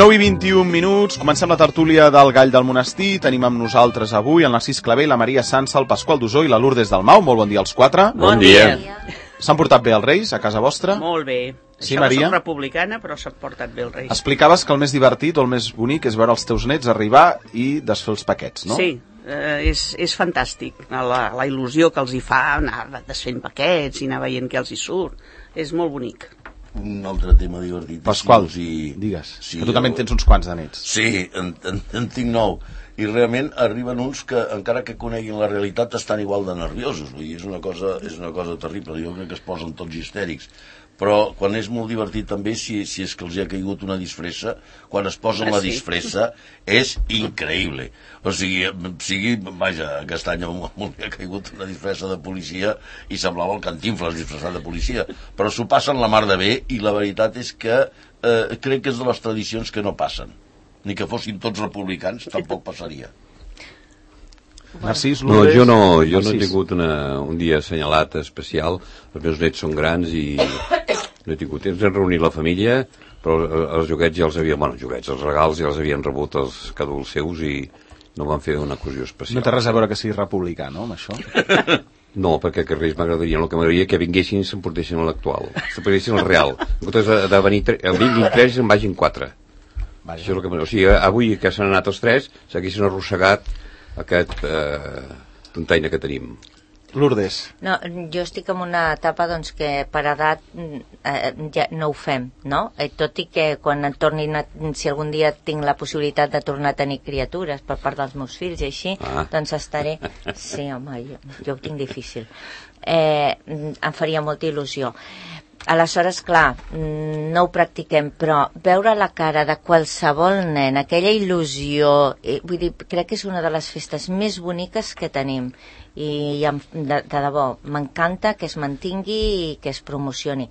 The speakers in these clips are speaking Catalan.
9:21, comencem la tertúlia del Gall del Monestir. Tenim amb nosaltres avui el Narcís Clavé, la Maria Sansa, el Pasqual Dusó i la Lourdes Dalmau. Molt bon dia als quatre. Bon dia. S'han portat bé els Reis a casa vostra? Molt bé. Sí, Això Maria? soc republicana, però s'ha portat bé els Reis. Explicaves que el més divertit o el més bonic és veure els teus nets arribar i desfer els paquets, no? Sí, és fantàstic. La il·lusió que els hi fa anar desfent paquets i anar veient què els hi surt. És molt bonic. Un altre tema divertit. Pasqual, digues, sí, que tu també en tens uns quants de nets. Sí, en tinc 9. I realment arriben uns que, encara que coneguin la realitat, estan igual de nerviosos. Vull dir, és una cosa terrible. Jo crec que es posen tots histèrics. Però quan és molt divertit també, si és que els hi ha caigut una disfressa, quan es posen la disfressa, és increïble. O sigui, vaja, aquest any m'hi ha caigut una disfressa de policia i semblava el Cantinfles disfressat de policia. Però s'ho passen la mar de bé i la veritat és que crec que és de les tradicions que no passen. Ni que fossin tots republicans, tampoc passaria. Narcís, no, jo no he tingut un dia assenyalat especial. Els meus nets són grans i no he tingut temps de reunir la família, però els joguets ja els havien... Bueno, els regals ja els havien rebut els cadúls seus i no van fer una ocasió especial. No té res a veure que siguis republicà, no, amb això? No, perquè que Reis m'agradaria. El que m'agradaria que vinguessin i s'emportessin a l'actual. S'emportessin al real. En comptes de venir el 23 en vagin 4. Això és el que o sigui, avui que s'han anat els 3 s'haguessin arrossegat aquest tontaina que tenim. Lourdes. No, jo estic en una etapa doncs, que per edat ja no ho fem, no? Tot i que quan en tornin si algun dia tinc la possibilitat de tornar a tenir criatures per part dels meus fills i així, doncs estaré... Sí, home, jo ho tinc difícil. Em faria molta il·lusió. Aleshores, clar, no ho practiquem, però veure la cara de qualsevol nen, aquella il·lusió, vull dir, crec que és una de les festes més boniques que tenim i de debò, m'encanta que es mantingui i que es promocioni.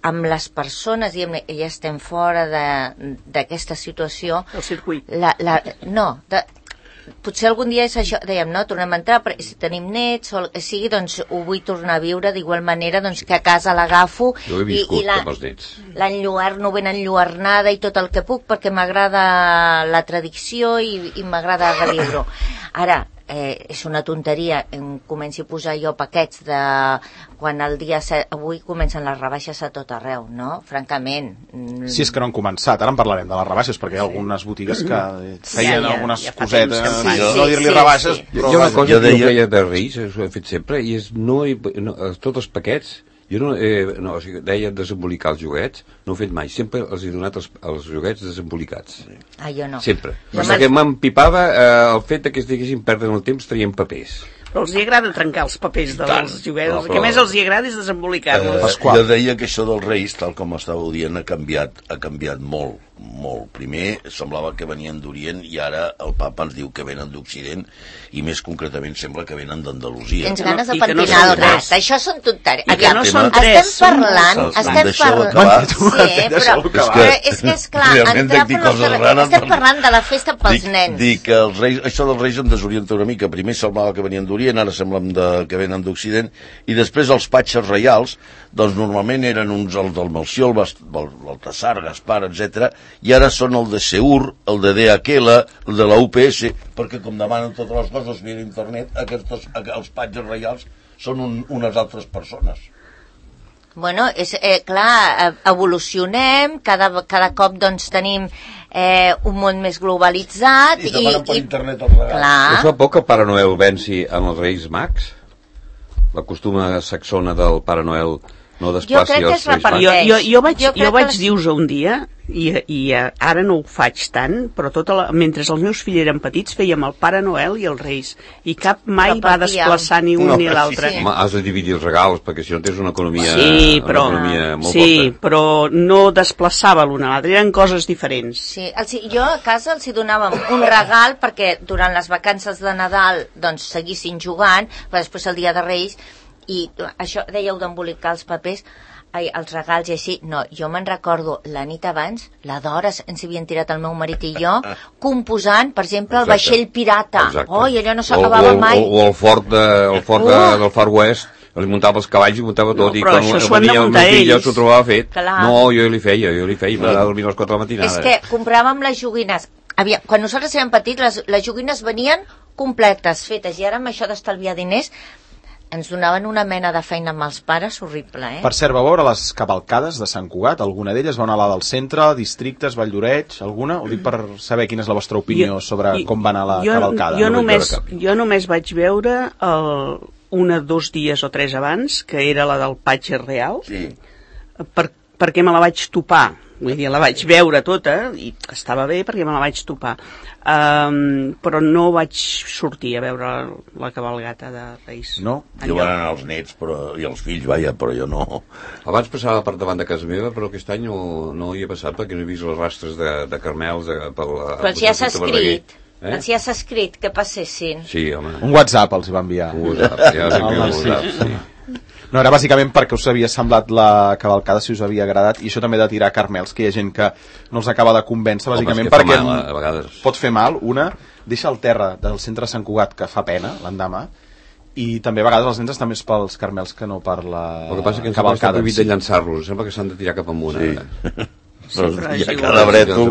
Amb les persones, diguem-ne, ja estem fora d'aquesta situació... El circuit. Potser algun dia és això, dèiem, no, tornem a entrar, però si tenim nets o el que sigui, doncs ho vull tornar a viure d'igual manera doncs, que a casa l'agafo i l'enlluerno ben enlluernada i tot el que puc perquè m'agrada la tradició i m'agrada reviure-ho. Ara, és una tonteria, comenci a posar jo paquets de quan el dia 7, avui comencen les rebaixes a tot arreu, no? Francament. Si és que no han començat, ara en parlarem de les rebaixes, perquè hi ha algunes botigues que feien algunes cosetes, no dir-li rebaixes, però... Hi ha una cosa que jo feia de Reis, ho he fet sempre, i és tots els paquets, jo o sigui, deia desembolicar els joguets, no ho he fet mai, sempre els he donat els joguets desembolicats. Jo no. Sempre. Perquè m'empipava el fet que es diguessin perdre el temps traient papers. Però els agrada trencar els papers dels joguets. El que més els agrada és desembolicar-los. Jo deia que això dels Reis, tal com estàveu dient, ha canviat molt. Primer semblava que venien d'Orient i ara el papa ens diu que venen d'Occident i més concretament sembla que venen d'Andalusia. Tens ganes de pentinar el rat. Això són tonteries. I que no són tres. Estem parlant... Sí, però és que és clar, estem parlant de la festa pels nens. Dic que això dels Reis em desorienta una mica. Primer semblava que venien d'Orient, ara sembla que venen d'Occident, i després els patges reials, doncs normalment eren uns els del Melcior, el Baltasar, Gaspar, etc. I ara són el de Seur, el de Aquela, el de la UPS, perquè com demanen totes les coses via internet, els patges reials són unes altres persones. Bueno, és clar, evolucionem, cada cop doncs tenim un món més globalitzat i demanen per internet els regals. Us fa por que el Pare Noel venci en els Reis Mags? La costuma saxona del Pare Noel no desplaci els Reis Mags? Jo vaig dir-vos un dia i ara no ho faig tant, però mentre els meus fills eren petits fèiem el Pare Noel i els Reis i cap mai va desplaçar ni un ni l'altre. Home, has de dividir els regals perquè si no tens una economia molt forta. Però no desplaçava l'un a l'altre, eren coses diferents. Sí, jo a casa els donàvem un regal perquè durant les vacances de Nadal doncs seguissin jugant, però després el dia de Reis, i això dèieu d'embolicar els papers, els regals i així, no, jo me'n recordo la nit abans, la d'hores ens havien tirat el meu marit i jo, composant, per exemple, el vaixell pirata. I allò no s'acabava mai. O el fort del Far West, li muntava els cavalls i muntava tot, i però quan això s'ho han de venia el muntar meu fill ells. s'ho trobava fet. Clar. No, jo li feia, m'agrada dormir a les 4 de la matinada. És que compràvem les joguines. Quan nosaltres érem petits, les joguines venien completes, fetes, i ara amb això d'estalviar diners ens donaven una mena de feina amb els pares horrible, Per cert, vau veure les cavalcades de Sant Cugat? Alguna d'elles va anar a la del centre, districtes, Valldoreix, alguna? Ho dic per saber quina és la vostra opinió sobre com va anar la cavalcada. Jo només vaig veure 1, 2 dies o 3 abans, que era la del Patge Real, perquè me la vaig topar. Vull dir, la vaig veure tota i estava bé perquè me la vaig topar. Però no vaig sortir a veure la cabalgata de Reis. No? Jo van anar els nets i els fills, però jo no. Abans passava per davant de casa meva, però aquest any no hi he passat perquè no he vist els rastres de carmels però els ja s'ha escrit. Els ja s'ha escrit que passessin. Sí, home. Un WhatsApp els hi va enviar. Un WhatsApp, sí. No, era bàsicament perquè us havia semblat la cavalcada, si us havia agradat, i això també de tirar carmels, que hi ha gent que no els acaba de convèncer, bàsicament perquè mal, a vegades. Pot fer mal. Una, deixa el terra del centre de Sant Cugat, que fa pena l'endemà, i també a vegades els nens estan més pels carmels que no per la cavalcada. El que passa que ens està prohibit de llançar-los, sembla que s'han de tirar cap amunt. Cada breto.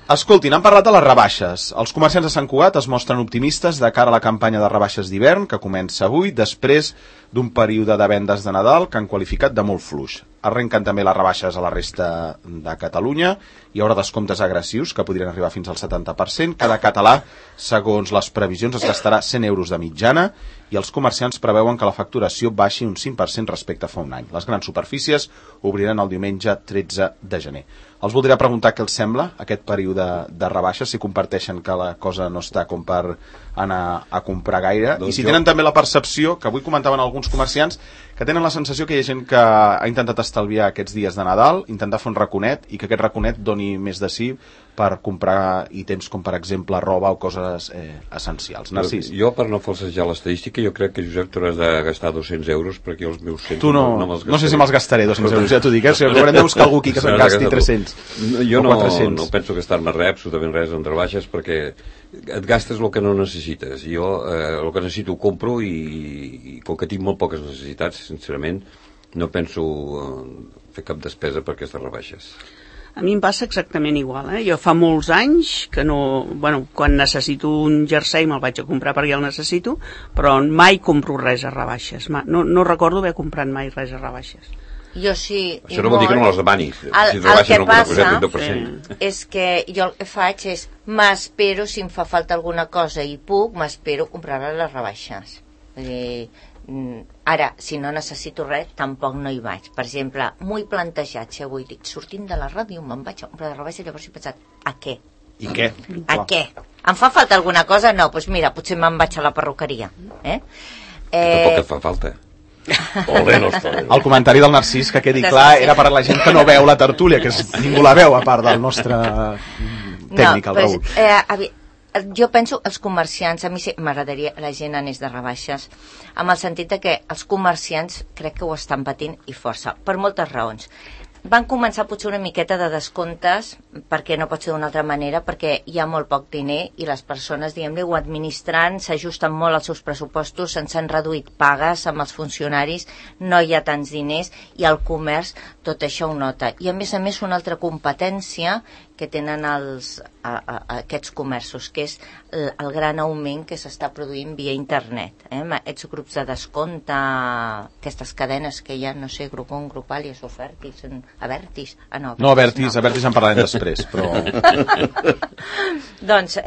Escoltin, han parlat de les rebaixes. Els comerciants de Sant Cugat es mostren optimistes de cara a la campanya de rebaixes d'hivern, que comença avui, després d'un període de vendes de Nadal que han qualificat de molt fluix. Arrenquen també les rebaixes a la resta de Catalunya. Hi haurà descomptes agressius que podrien arribar fins al 70%. Cada català, segons les previsions, es gastarà 100 euros de mitjana i els comerciants preveuen que la facturació baixi un 5% respecte a fa un any. Les grans superfícies obriran el diumenge 13 de gener. Els voldria preguntar què els sembla aquest període de rebaixes, si comparteixen que la cosa no està com per anar a comprar gaire, i si tenen també la percepció, que avui comentaven alguns comerciants, que tenen la sensació que hi ha gent que ha intentat estalviar aquests dies de Nadal, intentar fer un raconet, i que aquest raconet doni més de sí per comprar ítems com, per exemple, roba o coses essencials. Narcís. Jo, per no falsejar l'estadística, jo crec que, Josep, tu hauràs de gastar 200 euros perquè els meus 100 tu no sé si me'ls gastaré 200 euros, ja t'ho dic, si haurem de buscar algú aquí que se'n gasti 300 jo o 400. No penso gastar-me res, absolutament res en rebaixes, perquè et gastes el que no necessites. Jo el que necessito ho compro i com que tinc molt poques necessitats, sincerament, no penso fer cap despesa per aquestes rebaixes. A mi em passa exactament igual, Jo fa molts anys que no... quan necessito un jersei me'l vaig a comprar perquè el necessito, però mai compro res a rebaixes. No recordo haver comprat mai res a rebaixes. Jo sí. Això no vol dir que no les demanis. El que passa és que jo el que faig és m'espero, si em fa falta alguna cosa i puc, m'espero comprar-la a les rebaixes. Ara, si no necessito res, tampoc no hi vaig. Per exemple, m'ho he plantejat, si avui dic, sortint de la ràdio me'n vaig a comprar de rebaixes, llavors he pensat, a què? I què? A què? Em fa falta alguna cosa? No, doncs mira, potser me'n vaig a la perruqueria. Tampoc et fa falta. El comentari del Narcís, que quedi clar, era per a la gent que no veu la tertúlia, que ningú la veu a part del nostre tècnic, el Raül. Jo penso els comerciants, a mi m'agradaria la gent anés de rebaixes, amb el sentit de que els comerciants crec que ho estan patint i força, per moltes raons. Van començar potser una miqueta de descomptes, perquè no pot ser d'una altra manera, perquè hi ha molt poc diner i les persones, diguem-ne, ho administren, s'ajusten molt als seus pressupostos, se'ns han reduït pagues amb els funcionaris, no hi ha tants diners i el comerç tot això ho nota. I a més, una altra competència que tenen aquests comerços, que és el gran augment que s'està produint via internet. Aquests grups de descompte, aquestes cadenes que hi ha, no sé, Groupon, Grupalia, Sofertis, Avertis... No, Avertis en parlarem després, però... Doncs,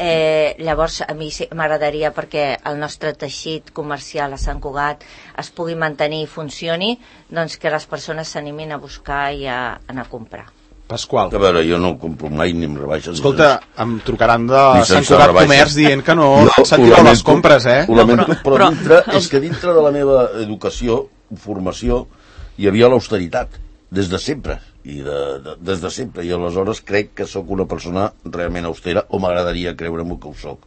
llavors, a mi m'agradaria, perquè el nostre teixit comercial a Sant Cugat es pugui mantenir i funcioni, doncs que les persones s'animin a buscar i a anar a comprar. Pasqual. A veure, jo no compro mai ni amb rebaixes. Escolta, em trucaran de Sant Cugat Comerç dient que no s'han tirat les compres, Ho lamento, però és que dintre de la meva educació, formació, hi havia l'austeritat, des de sempre. Des de sempre. I aleshores crec que sóc una persona realment austera, o m'agradaria creure-m'ho que ho soc.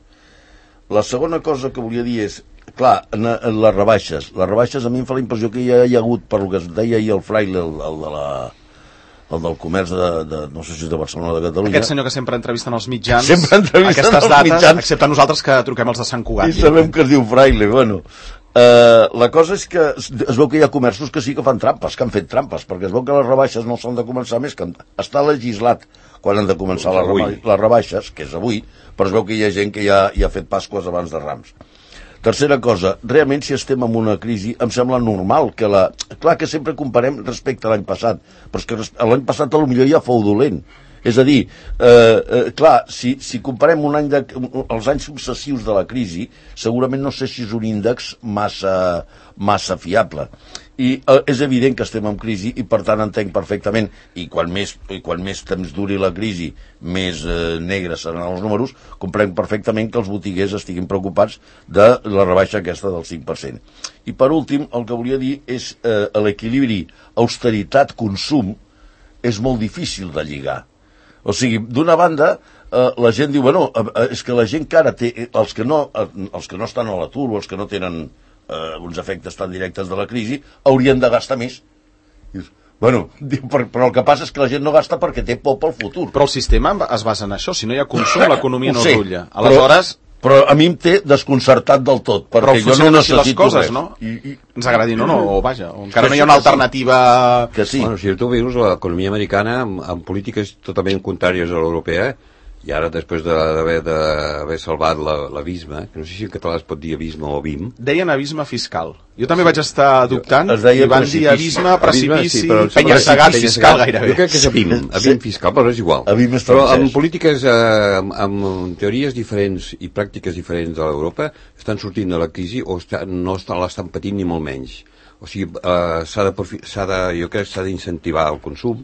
La segona cosa que volia dir és, clar, les rebaixes. Les rebaixes a mi em fa la impressió que ja hi ha hagut, per el que es deia ahir el Fraile, el del comerç no sé si és de Barcelona o de Catalunya. Aquest senyor que sempre entrevisten els mitjans, aquestes dates, excepte nosaltres que truquem els de Sant Cugat. I sabem que es diu Fraile, bueno. La cosa és que es veu que hi ha comerços que sí que fan trampes, que han fet trampes, perquè es veu que les rebaixes no s'han de començar més, que està legislat quan han de començar les rebaixes, que és avui, però es veu que hi ha gent que ja ha fet Pasques abans de Rams. Tercera cosa, realment si estem en una crisi em sembla normal que clar que sempre comparem respecte a l'any passat, però és que l'any passat potser ja fou dolent. És a dir, clar, si comparem els anys successius de la crisi, segurament no sé si és un índex massa fiable. I és evident que estem en crisi i per tant entenc perfectament, i quan més temps duri la crisi, més negres seran els números, comprenc perfectament que els botiguers estiguin preocupats de la rebaixa aquesta del 5%. I per últim, el que volia dir és l'equilibri austeritat-consum és molt difícil de lligar. O sigui, d'una banda, la gent diu, bueno, és que la gent que ara té, els que no estan a l'atur o els que no tenen uns efectes tan directes de la crisi, haurien de gastar més. Bueno, però el que passa és que la gent no gasta perquè té por pel futur. Però el sistema es basa en això. Si no hi ha consum, l'economia no es rulla. Aleshores... Però a mi em té desconcertat del tot, perquè jo no necessito res. No? Ens agradin o no, o vaja, encara no hi ha una alternativa... Que sí. Bueno, si tu veus l'economia americana amb polítiques totalment contràries a l'europea, i ara després d'haver salvat l'abisme, que no sé si en català es pot dir abisme o abim... Deien abisme fiscal. Jo també vaig estar dubtant i van dir abisme, precipici, penya-segat fiscal gairebé. Jo crec que és abim fiscal, però és igual. Però amb polítiques, amb teories diferents i pràctiques diferents de l'Europa, estan sortint de la crisi o no l'estan patint ni molt menys. O sigui, jo crec que s'ha d'incentivar el consum,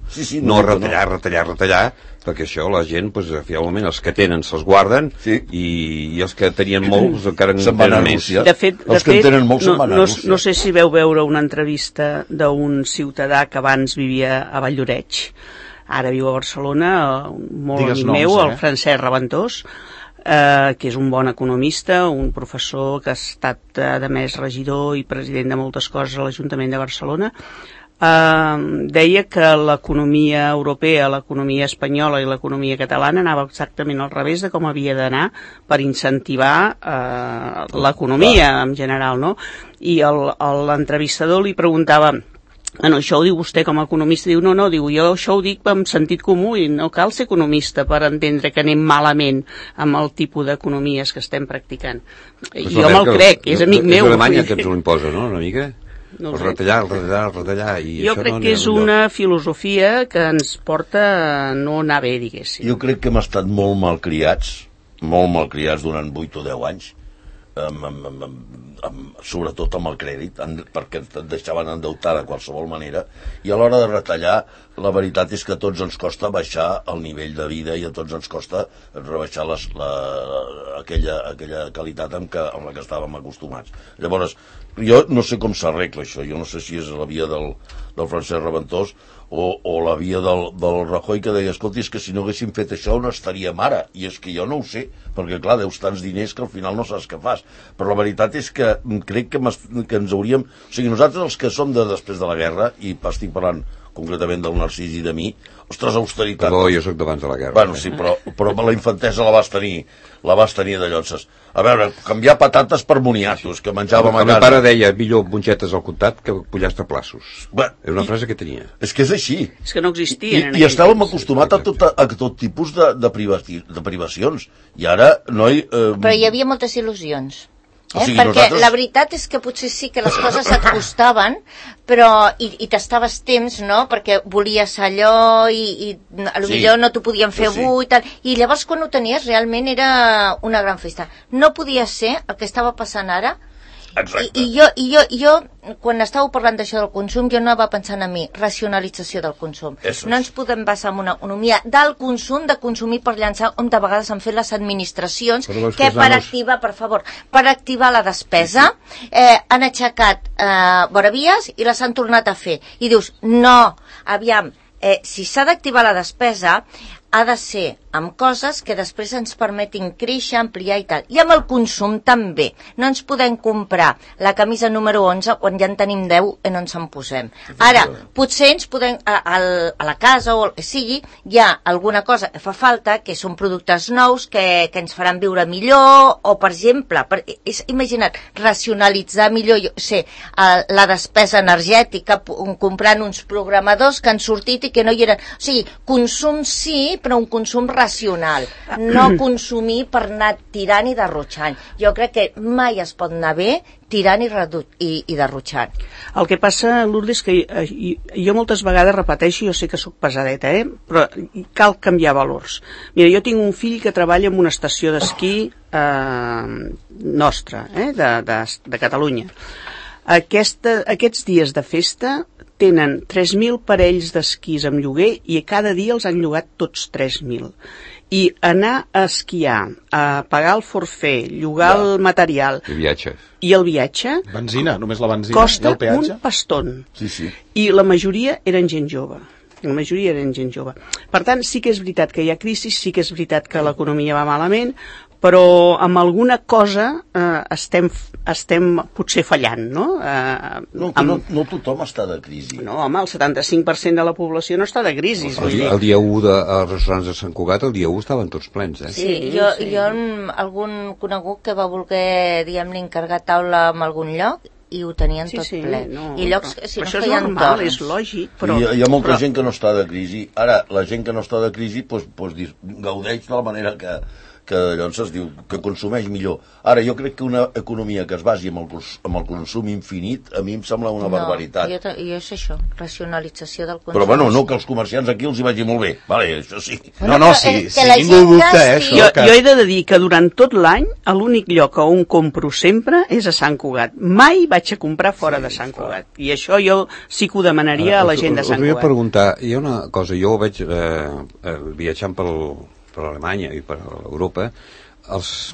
no retallar, perquè això la gent, finalment, els que tenen se'ls guarden i els que tenien molts encara en tenen més. De fet, no sé si veu veure una entrevista d'un ciutadà que abans vivia a Valldoreix, ara viu a Barcelona, molt amic meu, el Francesc Raventós, que és un bon economista, un professor que ha estat a més regidor i president de moltes coses a l'Ajuntament de Barcelona. Deia que l'economia europea, l'economia espanyola i l'economia catalana anava exactament al revés de com havia d'anar per incentivar l'economia en general, no? I l'entrevistador li preguntava: bueno, això ho diu vostè com a economista? Diu, no, diu, jo això ho dic amb sentit comú i no cal ser economista per entendre que anem malament amb el tipus d'economies que estem practicant. Jo me'l crec, és amic meu. És Alemanya que ens ho imposa, no?, una mica? Retallar. Jo crec que és una filosofia que ens porta a no anar bé, diguéssim. Jo crec que hem estat molt malcriats durant 8 o 10 anys, sobretot amb el crèdit, perquè et deixaven endeutar de qualsevol manera, i a l'hora de retallar, la veritat és que a tots ens costa baixar el nivell de vida i a tots ens costa rebaixar aquella qualitat amb la que estàvem acostumats. Llavors, jo no sé com s'arregla això, jo no sé si és la via del Francesc Raventós o la via del Rajoy, que deia, escolti, és que si no haguéssim fet això on estaríem ara, i és que jo no ho sé, perquè clar, deus tants diners que al final no saps què fas, però la veritat és que crec que ens hauríem... O sigui, nosaltres els que som de després de la guerra, i estic parlant concretament del Narcís i de mi, ostres, austeritat... Perdó, jo soc d'abans de la guerra. Bueno, sí, però la infantesa la vas tenir de llotses. A veure, canviar patates per moniatos, que menjàvem a casa. El meu pare deia, millor mongetes al comptat que pollastre a plaços. És una frase que tenia. És que és així. És que no existien. I estàvem acostumats a tot tipus de privacions. I ara, noi... Però hi havia moltes il·lusions. O sigui, perquè la veritat és que potser sí que les coses et costaven, però i t'estaves temps, no?, perquè volies allò i potser no t'ho podien fer avui i tal, i llavors quan ho tenies realment era una gran festa. No podia ser el que estava passant ara. Exacte. I jo, quan estàveu parlant d'això del consum, jo anava pensant a mi, racionalització del consum. No ens podem basar en una economia del consum, de consumir per llançar, on de vegades han fet les administracions, que per activar la despesa, han aixecat voravies i les han tornat a fer. I dius, no, aviam, si s'ha d'activar la despesa, ha de ser amb coses que després ens permetin créixer, ampliar i tal. I amb el consum també. No ens podem comprar la camisa número 11 quan ja en tenim 10 i no ens en posem. Ara, potser ens podem, a la casa o el que sigui, hi ha alguna cosa que fa falta, que són productes nous que ens faran viure millor, o per exemple, imagina't, racionalitzar millor, jo sé, la despesa energètica, comprant uns programadors que han sortit i que no hi eren. O sigui, consum sí, però un consum racional. No consumir per anar tirant i derrotxant. Jo crec que mai es pot anar bé tirant i derrotxant. El que passa, Lourdes, que jo moltes vegades repeteixo, jo sé que sóc pesadeta, però cal canviar valors. Mira, jo tinc un fill que treballa en una estació d'esquí nostra, de Catalunya. Aquests dies de festa tenen 3.000 parells d'esquís amb lloguer i cada dia els han llogat tots 3.000. I anar a esquiar, a pagar el forfait, llogar el material i el viatge benzina, només la benzina costa i el peatge un paston. Sí. I la majoria eren gent jove. Per tant, sí que és veritat que hi ha crisi, sí que és veritat que l'economia va malament, però amb alguna cosa estem potser fallant, no? No tothom està de crisi. No, home, el 75% de la població no està de crisi. El dia 1 als restaurants de Sant Cugat, el dia 1 estaven tots plens, Sí, jo algun conegut que va voler, diguem-ne, encarregar taula en algun lloc i ho tenien tot ple. I llocs que si no feien torns. És lògic, però... Hi ha molta gent que no està de crisi. Ara, la gent que no està de crisi gaudeix de la manera que llavors es diu que consumeix millor. Ara, jo crec que una economia que es basi en el consum infinit, a mi em sembla una barbaritat. Jo és això, racionalització del consum. Però bueno, no que els comerciants aquí els hi vagi molt bé. Vale, això sí. Sí, ningú dubta, això. Jo he de dir que durant tot l'any l'únic lloc on compro sempre és a Sant Cugat. Mai vaig a comprar fora de Sant Cugat. I això jo sí que ho demanaria a la gent de Sant Cugat. Us volia preguntar, hi ha una cosa, jo vaig viatjant per Alemanya i per Europa, les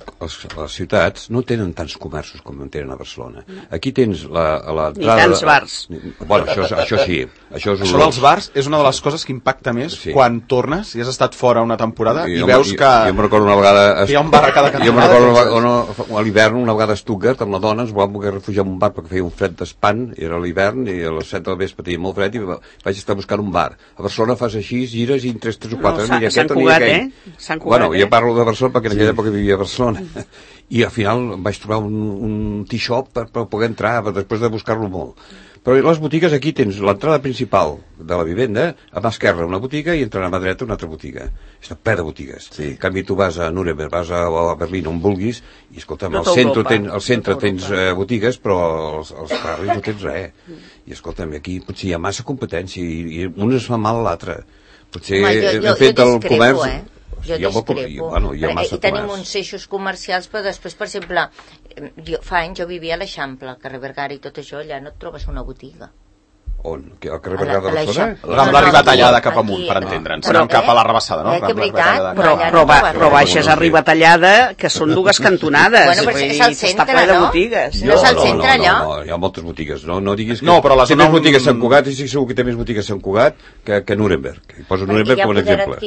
ciutats no tenen tants comerços com en tenen a Barcelona. Aquí tens l'entrada... Ni tants bars. Bueno, això sí. Això dels bars és una de les coses que impacta més quan tornes i has estat fora una temporada i veus que... Jo em recordo una vegada... Hi ha un bar a cada cantonada. Jo em recordo a l'hivern, una vegada a Stuttgart, amb la dona, ens vam poder refugiar en un bar perquè feia un fred d'espant, era l'hivern, i a les 7 del vespre tenia molt fred i vaig estar buscant un bar. A Barcelona fas així, gires i en 3 o 4 ni aquest ni aquell. Bueno, jo parlo de Barcelona perquè en aquella època vivia a Barcelona. I al final vaig trobar un tea-shop per poder entrar després de buscar-lo molt. Però les botigues aquí tens l'entrada principal de la vivenda, a mà esquerra una botiga i entrant a mà dreta una altra botiga. Està ple de botigues. En canvi tu vas a Nuremberg, vas a Berlín, on vulguis, i escolta'm, al centre tens botigues, però als carrers no tens res. I escolta'm, aquí potser hi ha massa competència i un es fa mal a l'altre. Potser hem fet el comerç... Jo discrepo. I tenim uns eixos comercials, però després, per exemple, fa anys jo vivia a l'Eixample, al carrer Bergara i tot això, allà no et trobes una botiga. On? Al carrer Bergara de Barcelona? Amb la Ribatallada cap amunt, per entendre'ns. Anem cap a la Rabassada, no? Que veritat, però baixes a Ribatallada, que són 2 cantonades. Bueno, però és al centre, no? No és al centre, allò? No, hi ha moltes botigues. No diguis que... No, però la té més botigues a Sant Cugat, i segur que té més botigues a Sant Cugat que Nuremberg. Poso Nuremberg com un exemple.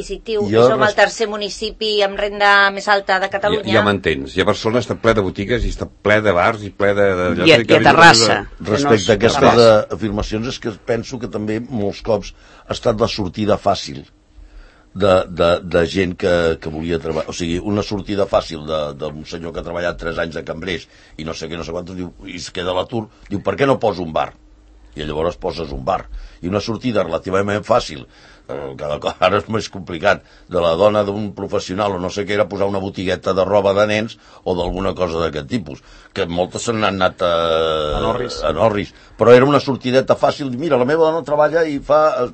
Som el tercer municipi amb renda més alta de Catalunya. Ja m'entens. I a Barcelona està ple de botigues i està ple de bars i ple de... I a Terrassa. Respecte a aquestes afirmacions és que penso que també molts cops ha estat la sortida fàcil de gent que volia treballar. O sigui, una sortida fàcil d'un senyor que ha treballat 3 anys de cambrers i no sé què, no sé quantos, i es queda a l'atur, diu, per què no poso un bar? I llavors poses un bar. I una sortida relativament fàcil, cada cop ara és més complicat, de la dona d'un professional o no sé què, era posar una botigueta de roba de nens o d'alguna cosa d'aquest tipus, que moltes se n'han anat a Norris, però era una sortideta fàcil. Mira, la meva dona treballa i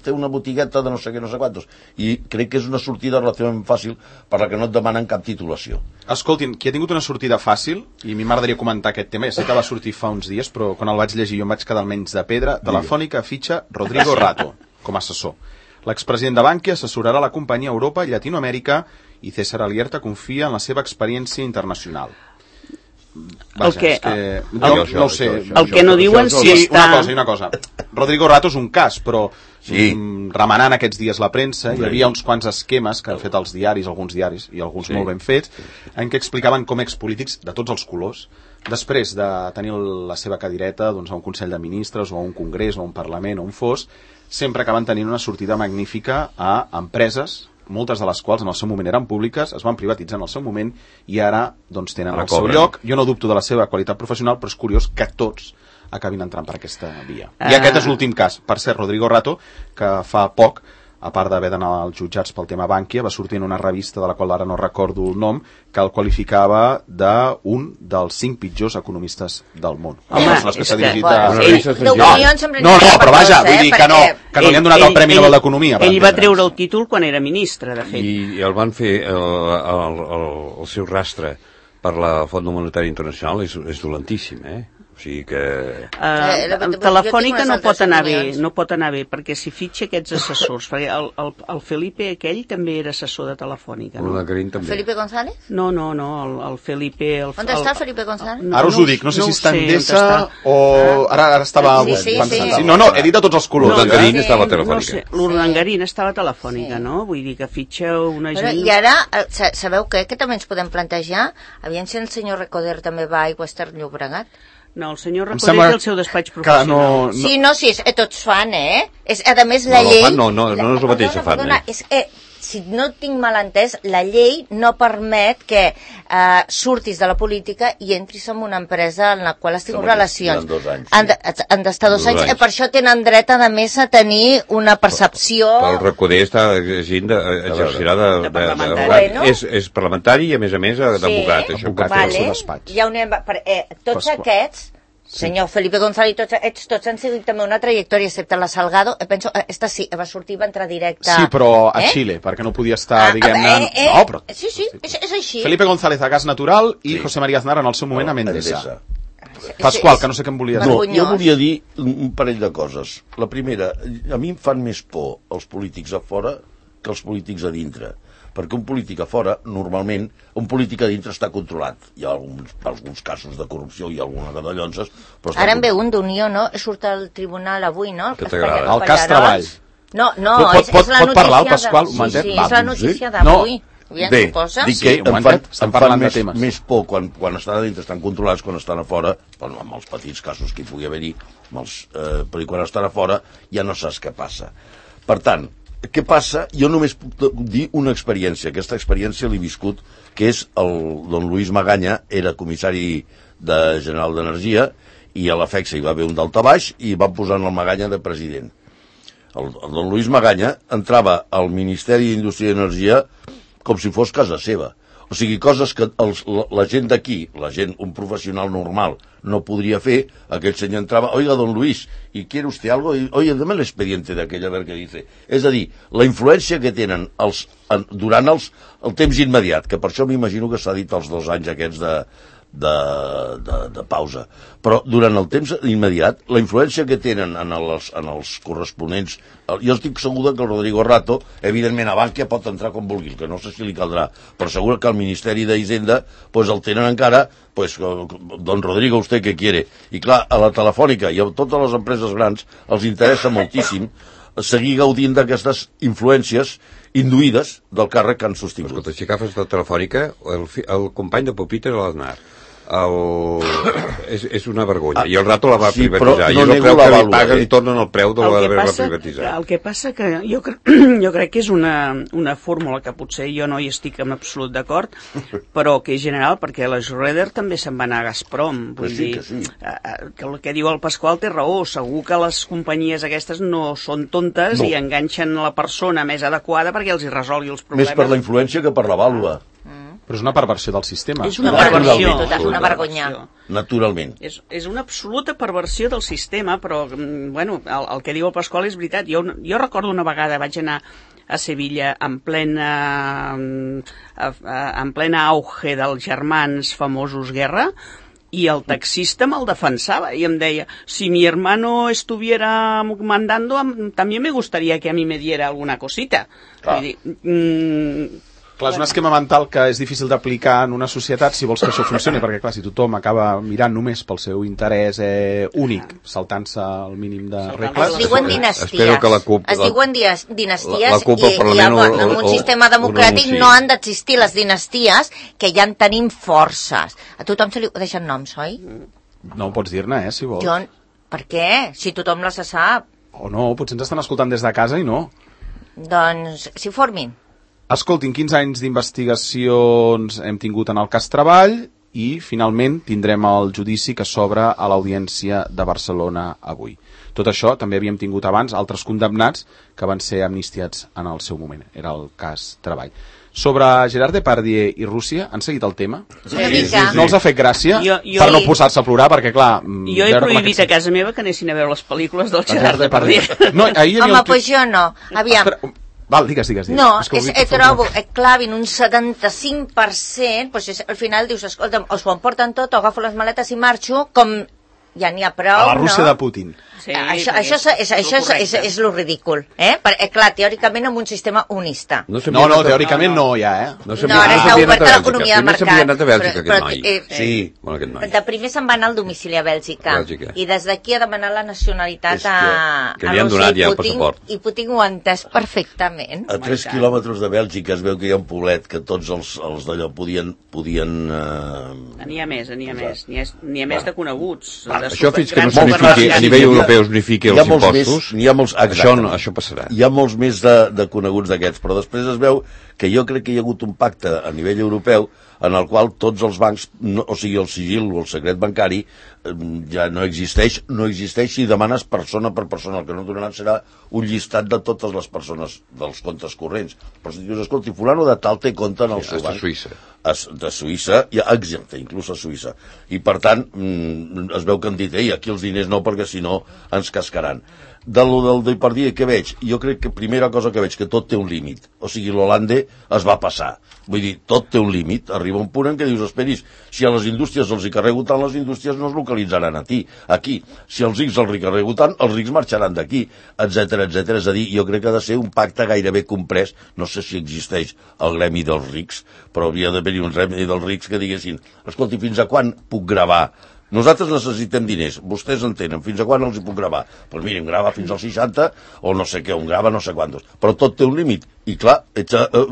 té una botigueta de no sé què, no sé quantos, i crec que és una sortida relativament fàcil per la que no et demanen cap titulació. Escoltin, qui ha tingut una sortida fàcil, i a mi m'agradaria comentar aquest tema, ja sé que va sortir fa uns dies, però quan el vaig llegir jo em vaig quedar almenys de pedra, Telefònica fitxa Rodrigo Rato com a assessor. L'expresident de Bankia assessorarà la companyia a Europa i Llatinoamèrica i César Alierta confia en la seva experiència internacional. No ho sé. El que no diuen si està... Una cosa. Rodrigo Rato és un cas, però remenant aquests dies la premsa, hi havia uns quants esquemes que han fet els diaris, alguns diaris, i alguns molt ben fets, en què explicaven com expolítics de tots els colors, després de tenir la seva cadireta a un Consell de Ministres o a un Congrés o a un Parlament o on fos, sempre acaben tenint una sortida magnífica a empreses, moltes de les quals en el seu moment eren públiques, es van privatitzar en el seu moment i ara tenen el seu lloc. Jo no dubto de la seva qualitat professional, però és curiós que tots acabin entrant per aquesta via. I aquest és l'últim cas. Per cert, Rodrigo Rato, que fa poc, a part d'haver d'anar als jutjats pel tema Bankia, va sortir en una revista de la qual ara no recordo el nom, que el qualificava d'un dels 5 pitjors economistes del món. Home, és que No, però vaja, vull dir que no li han donat el Premi Nobel d'Economia. Ell va treure el títol quan era ministre, de fet. I el van fer, el seu rastre per la Font Monetària Internacional és dolentíssim, O sigui que... Telefònica no pot anar bé, perquè si fitxa aquests assessors, perquè el Felipe aquell també era assessor de Telefònica, no? Felipe González? No, el Felipe... On està Felipe González? Ara us ho dic, no sé si està en Endesa o... Ara estava... No, he dit a tots els colors. L'Urdangarín estava a Telefònica. L'Urdangarín estava a Telefònica, no? Vull dir que fitxa una gent... I ara, sabeu què? Que també ens podem plantejar? Aviam si el senyor Recoder també va a Aigües ter Llobregat. No, el senyor Recoder té el seu despatx professional. Sí, tots fan, a més, la llei... No és el mateix que fan, És que, si no tinc mal entès, la llei no permet que surtis de la política i entris en una empresa en la qual has tingut relacions. Han d'estar 2 anys. Per això tenen dret, a més, a tenir una percepció... El Recoder exercirà d'advocat. És parlamentari i, a més, d'advocat. Tots aquests... Senyor Felipe González, tots han seguit també una trajectòria, excepte la Salgado. Penso, esta sí, va sortir, va entrar directe... Sí, però a Xile, perquè no podia estar, diguem-ne... No, però... Sí, és així. Felipe González a Gas Natural i José María Aznar en el seu moment a Mendesa. Pasqual, que no sé què em volia dir. No, jo volia dir un parell de coses. La primera, a mi em fan més por els polítics a fora que els polítics a dintre. Perquè un polític a fora, normalment, un polític a dintre està controlat. Hi ha alguns casos de corrupció i alguna de dallonses... Ara en ve un d'Unió, no? Surt al tribunal avui, no? Que t'agrada. El cas Treball. No, és la notícia... Pot parlar el Pasqual? Sí, és la notícia d'avui. Bé, dic que em fan més por quan estan a dintre, estan controlats, quan estan a fora, amb els petits casos que hi pugui haver-hi, però quan estan a fora ja no saps què passa. Per tant, què passa? Jo només puc dir una experiència. Aquesta experiència l'he viscut, que és el don Luis Maganya, era comissari general d'Energia, i a la FECSA hi va haver un daltabaix i van posar el Maganya de president. El don Luis Maganya entrava al Ministeri d'Indústria i Energia com si fos casa seva. O sigui, coses que la gent d'aquí, un professional normal, no podria fer. Aquell senyor entrava, oiga, don Luis, ¿y quiere usted algo? Oye, dame el expediente de aquella, a ver què dice. És a dir, la influència que tenen durant el temps immediat, que per això m'imagino que s'ha dit els 2 anys aquests de pausa. Però durant el temps immediat, la influència que tenen en els corresponents... Jo estic segur que el Rodrigo Rato, evidentment a Bankia pot entrar com vulgui, que no sé si li caldrà, però segur que al Ministeri d'Hisenda el tenen encara, don Rodrigo, ¿usted qué quiere? I clar, a la Telefònica i a totes les empreses grans els interessa moltíssim seguir gaudint d'aquestes influències induïdes del càrrec que han sostingut. Escolta, si agafes la Telefònica, el company de Pupita era l'Aznar. És una vergonya. I el Rato la va privatitzar. I és el preu que li paguen i tornen el preu de l'haver-la privatitzat. El que passa que jo crec que és una fórmula que potser jo no hi estic en absolut d'acord, però que és general, perquè la Schroeder també se'n va anar a Gazprom. Vull dir, que el que diu el Pasqual té raó. Segur que les companyies aquestes no són tontes i enganxen la persona més adequada perquè els hi resolgui els problemes. Més per la influència que per la vàlua. Però és una perversió del sistema. És una perversió. És una vergonya. Naturalment. És una absoluta perversió del sistema, però, bueno, el que diu el Pasqual és veritat. Jo recordo una vegada, vaig anar a Sevilla en plena auge dels germans famosos Guerra, i el taxista me'l defensava i em deia, si mi hermano estuviera mandando, también me gustaría que a mí me diera alguna cosita. Vull dir, Clar, és un esquema mental que és difícil d'aplicar en una societat si vols que això funcioni, perquè clar, si tothom acaba mirant només pel seu interès únic, saltant-se el mínim de regles... Es diuen dinasties. Espero que la CUP... Es diuen dinasties la CUP al Parlament en un sistema democràtic no han d'existir les dinasties, que ja en tenim forces. A tothom se li deixen noms, oi? No ho pots dir-ne, si vols. Per què? Si tothom les sap. O no, potser ens estan escoltant des de casa i no. Doncs s'hi formin. Escoltin, 15 anys d'investigacions hem tingut en el cas Treball i finalment tindrem el judici que s'obre a l'Audiència de Barcelona avui. Tot això també havíem tingut abans altres condemnats que van ser amnistiats en el seu moment. Era el cas Treball. Sobre Gerard Depardieu i Rússia, han seguit el tema? Una mica. No els ha fet gràcia per no posar-se a plorar, perquè clar... Jo he prohibit a casa meva que anessin a veure les pel·lícules del Gerard Depardieu. No, home, doncs jo no. Aviam. Val, digues. No, trobo, clavin un 75%, doncs al final dius, escolta'm, o s'ho emporten tot, o agafo les maletes i marxo, com ja n'hi ha prou, a la Rússia de Putin. Sí, això és lo ridícul, Clar, teòricament amb un sistema unista. No, teòricament no, ja, No, ara està oberta l'economia de mercat. Primer s'havia anat a Bèlgica aquest noi. Sí. Bueno, aquest noi. De primer se'n va anar al domicili a Bèlgica. I des d'aquí a demanar la nacionalitat a Rússia i Putin ho ha entès perfectament. A 3 quilòmetres de Bèlgica es veu que hi ha un poblet que tots els d'allò podien... N'hi ha més, n'hi ha més de coneguts. Això fins que no s'unifiqui, a nivell europeu s'unifiqui els impostos, això passarà. Hi ha molts més de coneguts d'aquests, però després es veu que jo crec que hi ha hagut un pacte a nivell europeu en el qual tots els bancs, o sigui el sigil o el secret bancari, ja no existeix si demanes persona per persona. El que no donaran serà un llistat de totes les persones dels comptes corrents. Però si dius, escolti, fulano de tal té compte en el seu banc. De Suïssa, exacte, inclús a Suïssa. I per tant, es veu que han dit, aquí els diners no, perquè si no ens cascaran. Del Depardieu que veig, jo crec que primera cosa que veig, que tot té un límit. O sigui, l'Hollande es va passar. Vull dir, tot té un límit. Arriba un punt en què dius, esperis, si a les indústries els hi carrego tant, les indústries no es localitzaran aquí. Si els rics els carrego tant, els rics marxaran d'aquí, etcètera. És a dir, jo crec que ha de ser un pacte gairebé comprès. No sé si existeix el gremi dels rics, però hauria d'haver-hi un gremi dels rics que diguessin, escolti, fins a quan puc gravar? Nosaltres necessitem diners, vostès en tenen, fins a quan els hi puc gravar? Doncs mira, em grava fins als 60, o no sé què, em grava no sé quantos. Però tot té un límit, i clar... Però a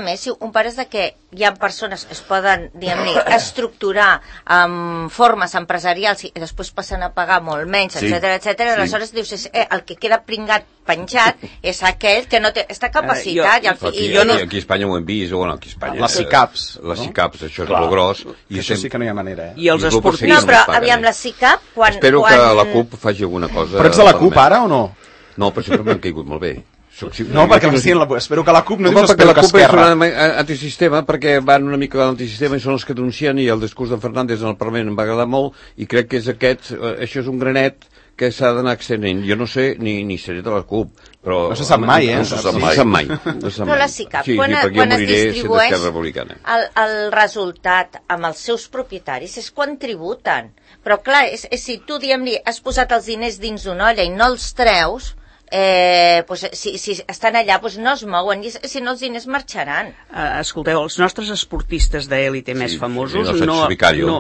més, si un pares de que hi ha persones que es poden, diguem-ne, estructurar amb formes empresarials i després passen a pagar molt menys, etcètera, aleshores dius, el que queda pringat penjat és aquell que no té, està capacitat. Aquí a Espanya ho hem vist, aquí a Espanya... Les SICAPs. Les SICAPs, això és molt gros. Això sí que no hi ha manera, I els esportistes... No, però aviam, la SICAP... Espero que la CUP faci alguna cosa... Però ets de la CUP ara o no? No, però sempre m'han caigut molt bé. No, perquè espero que la CUP no dius espero que Esquerra. La CUP és un antisistema perquè van una mica a l'antisistema i són els que denuncien, i el discurs d'en Fernández en el Parlament em va agradar molt, i crec que és això és un granet que s'ha d'anar extenent. Jo no sé, ni seré de la CUP, però... No se sap mai, No se sap mai. Però la SICAP, sí, quan es distribueix el resultat amb els seus propietaris és quan tributen. Però clar, si tu, diguem-li, has posat els diners dins d'una olla i no els treus... si estan allà no es mouen, i si no els diners marxaran. Escolteu, els nostres esportistes d'èlite més famosos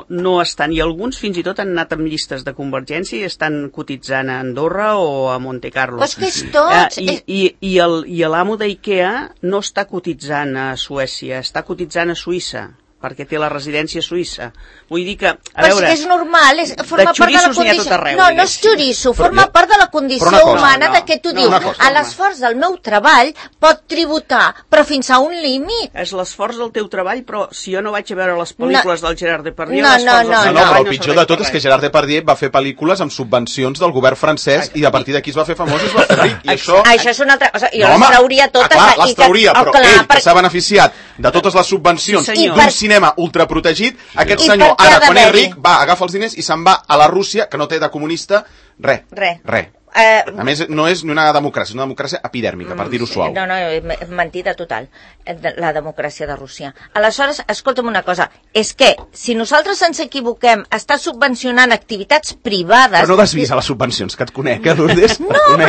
no estan, i alguns fins i tot han anat amb llistes de Convergència i estan cotitzant a Andorra o a Monte Carlo. Però és que és tots... I l'amo d'IKEA no està cotitzant a Suècia, està cotitzant a Suïssa, perquè té la residència suïssa. Vull dir que, a veure... Però és normal, forma part de la condició... No és xoriço, forma part de la condició humana de que tu dius, a l'esforç del meu treball pot tributar, però fins a un límit. És l'esforç del teu treball, però si jo no vaig a veure les pel·lícules del Gerard Depardieu... No, però el pitjor de tot és que Gerard Depardieu va fer pel·lícules amb subvencions del govern francès i a partir d'aquí es va fer famós i es va fer ric. Això és una altra cosa. Jo les trauria totes... Clar, les trauria, però ell, que s'ha beneficiat de totes les subvencions d'un cinema ultraprotegit, aquest senyor, ara, quan és ric, agafa els diners i se'n va a la Rússia, que no té de comunista res. A més, no és ni una democràcia, és una democràcia epidèrmica, per dir-ho suau. No, mentida total, la democràcia de Rússia. Aleshores, escolta'm una cosa, és que si nosaltres ens equivoquem, està subvencionant activitats privades... Però no desvis a les subvencions, que et conec, Lourdes? No, però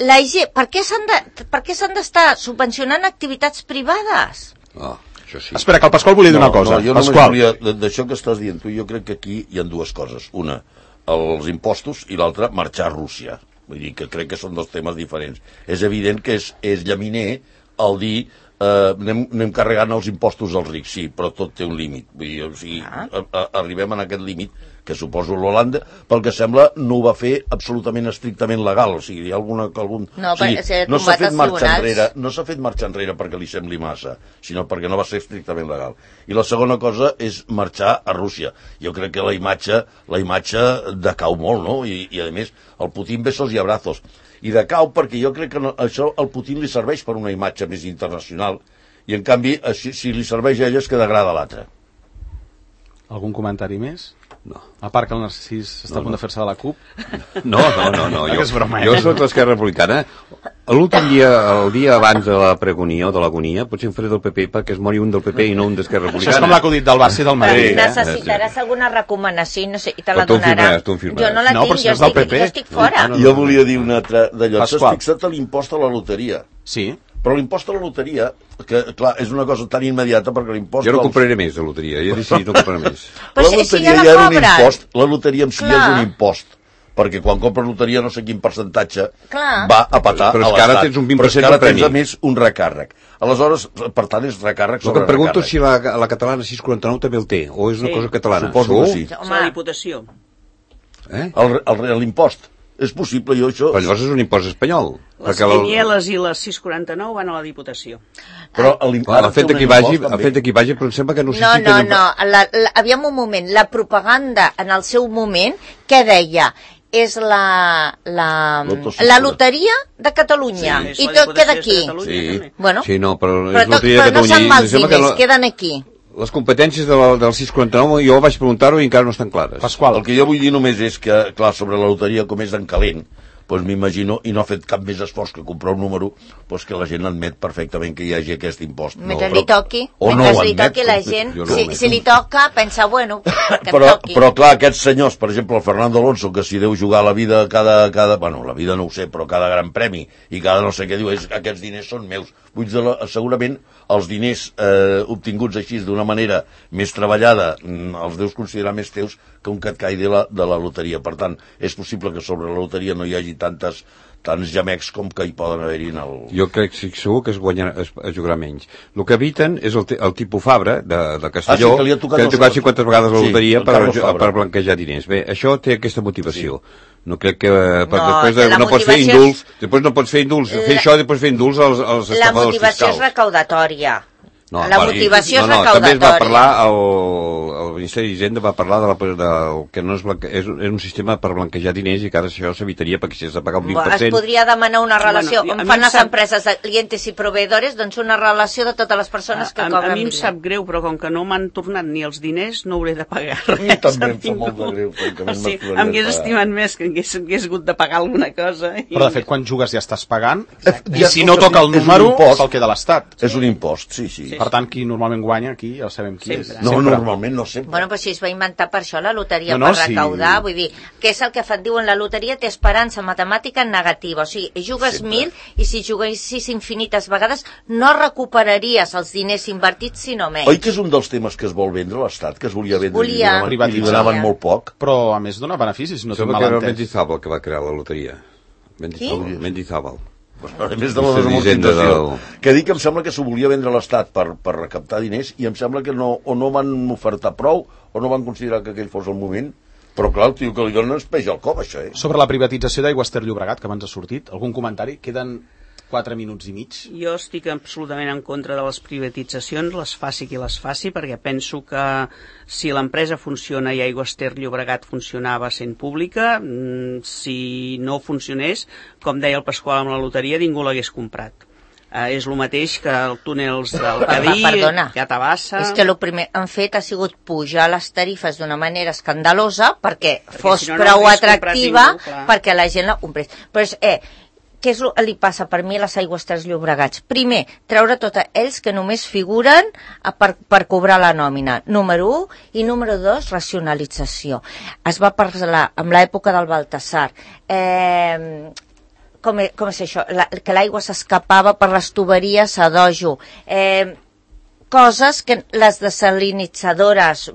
la IG, per què s'han d'estar subvencionant activitats privades? Això sí. Espera, que el Pasqual volia dir una cosa. No, jo només Pasqual. volia, d'això que estàs dient tu, jo crec que aquí hi ha dues coses. Una, els impostos, i l'altra, marxar a Rússia. Vull dir que crec que són dos temes diferents. És evident que és llaminer el dir anem carregant els impostos als rics, sí, però tot té un límit. Vull dir, o sigui, arribem a aquest límit, que suposo l'Holanda, pel que sembla, no ho va fer absolutament estrictament legal. O sigui, hi ha algun... No, o sigui, no s'ha fet marxa enrere, no s'ha fet marxa enrere perquè li sembli massa, sinó perquè no va ser estrictament legal. I la segona cosa és marxar a Rússia. Jo crec que la imatge decau molt, no? I a més, el Putin besos i abrazos. I decau perquè jo crec que això al Putin li serveix per una imatge més internacional i en canvi si li serveix a ell és que degrada l'altre. Algun comentari més? No. A part que el Narcís està a punt de fer-se de la CUP. No. És broma, Jo soc d'Esquerra Republicana. L'últim dia, el dia abans de la pregonia o de l'agonia, potser em faré del PP perquè es mori un del PP i no un d'Esquerra Republicana. Això és com l'acudit del Barça i del Madrid. Necessitaràs alguna recomanació i te la Però tu donarà. tu firmaràs. Jo no la No, però tinc, si no és del PP. jo estic fora. Jo volia dir una altra d'allò. S'has Pasqual. fixat a l'impost a la loteria. Sí. Però l'impost a la loteria, que clar, és una cosa tan immediata perquè l'impost... Jo no compraré més de loteria, ja he decidit no comprar més. Però la si loteria ja la ja era un cobren. impost, la loteria en si ja és Clar. un impost, perquè quan compres loteria no sé quin percentatge Clar. va a patar Però és a que ara l'Estat. tens un 20% Però és que ara de premi. tens a més un recàrrec. Aleshores, per tant, és recàrrec El que sobre em pregunto recàrrec. si la catalana 649 també el té, o és una Sí. cosa catalana. Suposo que Segur? sí. És la Diputació. L'impost. És possible, jo això... Però llavors és un impost espanyol. Les perquè quinieles i les 649 van a la Diputació. Però el fet de que hi vagi, però em sembla que no sé No, si tenen... aviam un moment, la propaganda en el seu moment, què deia? És la loteria de Catalunya. Sí, I la tot Diputació queda és aquí. de Catalunya, Sí. també. Bueno, Sí, no, però és però loteria de no Catalunya. se'n i van em sembla que diners, queden aquí. les competències del 649, jo vaig preguntar-ho i encara no estan clares. Pasqual. El que jo vull dir només és que, clar, sobre la loteria, com és en calent, doncs m'imagino, i no ha fet cap més esforç que comprar un número, doncs que la gent admet perfectament que hi hagi aquest impost. Mentre li toqui, o no mentre ho li admet, toqui la gent, jo no ho admeto. si li toca, pensa, bueno, que em toqui. però clar, aquests senyors, per exemple, el Fernando Alonso, que s'hi deu jugar la vida bueno, la vida no ho sé, però cada gran premi i cada no sé què diu, aquests diners són meus. Segurament els diners obtinguts així d'una manera més treballada els deus considerar més teus que un que et caigui de la loteria. Per tant, és possible que sobre la loteria no hi hagi tants gemecs com que hi poden haver-hi en el... Jo crec que segur que es jugarà menys. El que eviten és el tipus Fabra de Castelló, que li ha tocat que ha tocat 50 vegades la sí, loteria el Carlos Fabra. per blanquejar diners. Bé, això té aquesta motivació. No crec que... No, després la no pots fer motivació indults, després no pots fer indults, fer això i després fer indults als La estafadors motivació és fiscals. recaudatòria. No, La motivació és també es va recaudatòria. parlar, el Ministeri d'Hisenda va parlar del que no és un sistema per blanquejar diners i que ara això s'evitaria perquè si has de pagar un 20%... Es podria demanar una relació, Bueno, a on mi fan em les sap- empreses de clientes i proveïdors, doncs una relació de totes les persones que A cobren mi em diners. sap greu, però com que no m'han tornat ni els diners, no hauré de pagar A mi res. també em fa ningú. molt de greu, francament, O sigui, m'explotaria em hagués de pagar. estimat més que hagués hagut de pagar alguna cosa. Però de fet, quan jugues ja estàs pagant, i Ja, si no escolta, toca el és un número, impost. se'l queda l'Estat. És un impost, sí. Per tant, qui normalment guanya aquí, ja sabem qui Sempre. és. No, normalment no sempre. Bueno, però si es va inventar per això la loteria, No, per sí. recaudar, vull dir, què és el que et diuen? La loteria té esperança matemàtica negativa, o sigui, jugues Sempre. 1000 i si juguessis infinites vegades no recuperaries els diners invertits, sinó menys. Oi que és un dels temes que es vol vendre a l'Estat, que es volia vendre Volia. i li donaven molt poc? Però, a més, dona beneficis, no tinc Sembla mal que era el entès. Mendizábal que va crear la loteria. Mendizábal. A més de la Ministre d'Hisenda desamortització. Que dic que em sembla que s'ho volia vendre a l'Estat per recaptar diners i em sembla que no van ofertar prou o no van considerar que aquell fos el moment. Però clar, el tio que li donen es peix al cop, això, Sobre la privatització d'Aigües Ter Llobregat, que abans ha sortit, algun comentari? Queden 4 minuts i mig. Jo estic absolutament en contra de les privatitzacions, les faci qui les faci, perquè penso que si l'empresa funciona i Aigües Ter Llobregat funcionava sent pública, si no funcionés, com deia el Pasqual amb la loteria, ningú l'hagués comprat. És el mateix que els túnels del Cadí, Perdona, que a Tabassa... és que el primer han fet ha sigut pujar les tarifes d'una manera escandalosa perquè fos si no, no prou hagués comprat atractiva ningú, clar. perquè la gent la comprés. Però és, què és el que li passa per mi a les Aigües Ter Llobregats? Primer, treure tots ells que només figuren per cobrar la nòmina. Número 1. I número 2, racionalització. Es va parlar amb l'època del Baltasar. Com és això? Que l'aigua s'escapava per les tuberies a dojo. coses que les desalinitzadores...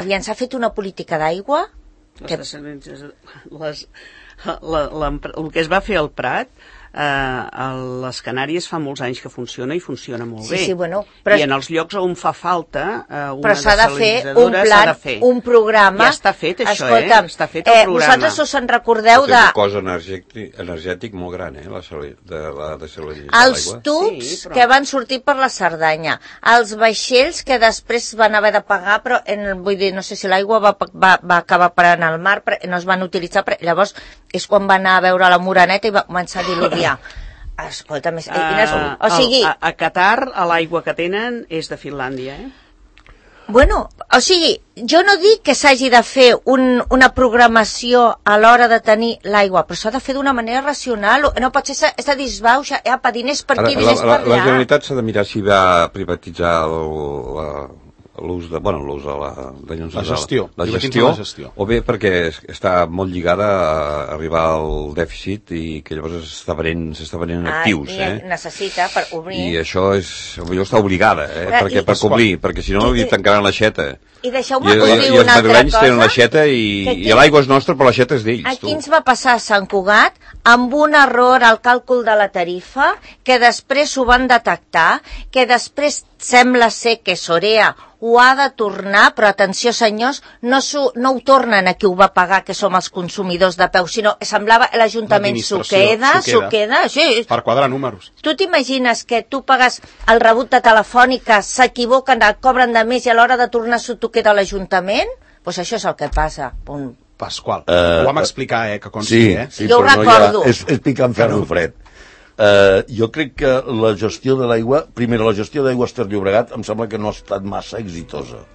Aviam, s'ha fet una política d'aigua? El que es va fer al Prat, a les Canàries fa molts anys que funciona i funciona molt bé. Sí, bueno, però... I en els llocs on fa falta una s'ha de fer un plan, un programa. Ja està fet això, està fet el programa. Vosaltres us en recordeu de... És un cost energètic molt gran, la desalinització de els tubs que van sortir per la Cerdanya, els vaixells que després van haver de pagar, però vull dir, no sé si l'aigua va acabar parant al mar, no es van utilitzar, llavors és quan va anar a veure la Moreneta i va començar a diluviar. Escolta, o sigui... A Qatar, l'aigua que tenen és de Finlàndia, Bueno, o sigui, jo no dic que s'hagi de fer una programació a l'hora de tenir l'aigua, però s'ha de fer d'una manera racional, no pot ser de disbauxa, diners per aquí, diners per allà. La Generalitat s'ha de mirar si va privatitzar l'ús de la gestió, o bé perquè està molt lligada a arribar al dèficit i que llavors s'està venent actius. Necessita per obrir. I això potser està obligada, per complir, perquè si no li tancaran l'aixeta. I deixeu-me dir una altra cosa. I els madrilenys tenen l'aixeta i l'aigua és nostra, però l'aixeta és d'ells. Aquí ens va passar a Sant Cugat amb un error al càlcul de la tarifa, que després ho van detectar, que després sembla ser que Sorea ho ha de tornar, però atenció senyors, no ho tornen a qui ho va pagar, que som els consumidors de peu, sinó semblava l'Ajuntament s'ho queda, sí. Per quadrar números. Tu t'imagines que tu pagues el rebut de Telefònica, s'equivoquen, et cobren de més i a l'hora de tornar s'ho queda l'Ajuntament? Doncs això és el que passa. Pasqual, ho vam explicar, que consti, Sí, jo ho recordo. És picant ferro fred. Jo crec que la gestió de l'aigua, primera, la gestió d'aigua Ter Llobregat em sembla que no ha estat massa exitosa.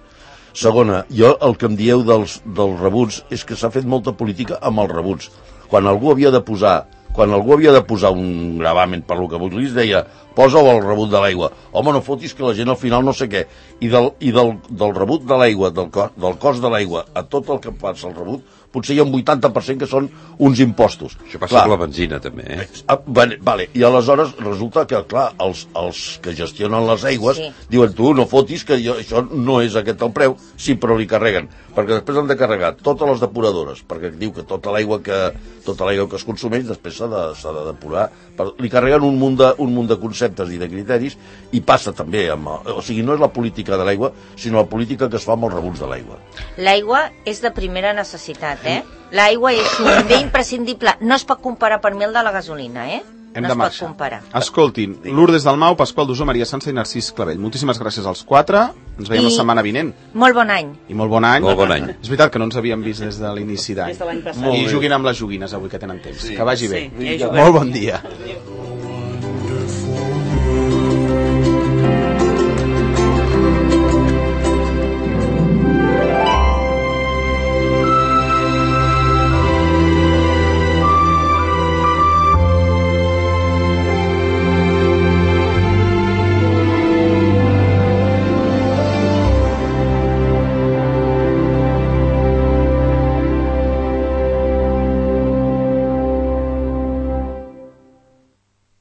Segona, jo el que em dieu dels rebuts és que s'ha fet molta política amb els rebuts. Quan algú havia de posar un gravamen per lo que vulguis, deia, posa-ho al rebut de l'aigua. Home, no fotis que la gent al final no sé què. I del rebut de l'aigua, del cost de l'aigua, a tot el que passa al rebut, potser hi ha un 80% que són uns impostos. Això passa amb la benzina, també, Vale. I aleshores resulta que, clar, els que gestionen les aigües diuen, tu no fotis que això no és aquest el preu, sí, però li carreguen. Perquè després han de carregar totes les depuradores, perquè diu que tota l'aigua que es consumeix després s'ha de depurar. Li carreguen un munt de conceptes i de criteris i passa també o sigui, no és la política de l'aigua, sinó la política que es fa amb els rebuts de l'aigua. L'aigua és de primera necessitat, L'aigua és un bé imprescindible. No es pot comparar per mi el de la gasolina, Hem de marxar. Escoltin, Lourdes Dalmau, Pasqual Dusó, Maria Sansa i Narcís Clavell. Moltíssimes gràcies als 4. Ens veiem la setmana vinent. Molt bon any. I molt bon any. Molt bon any. És veritat que no ens havíem vist des de l'inici d'any. Des de l'any passat. I juguin amb les joguines avui que tenen temps. Que vagi bé. Sí, molt bon dia.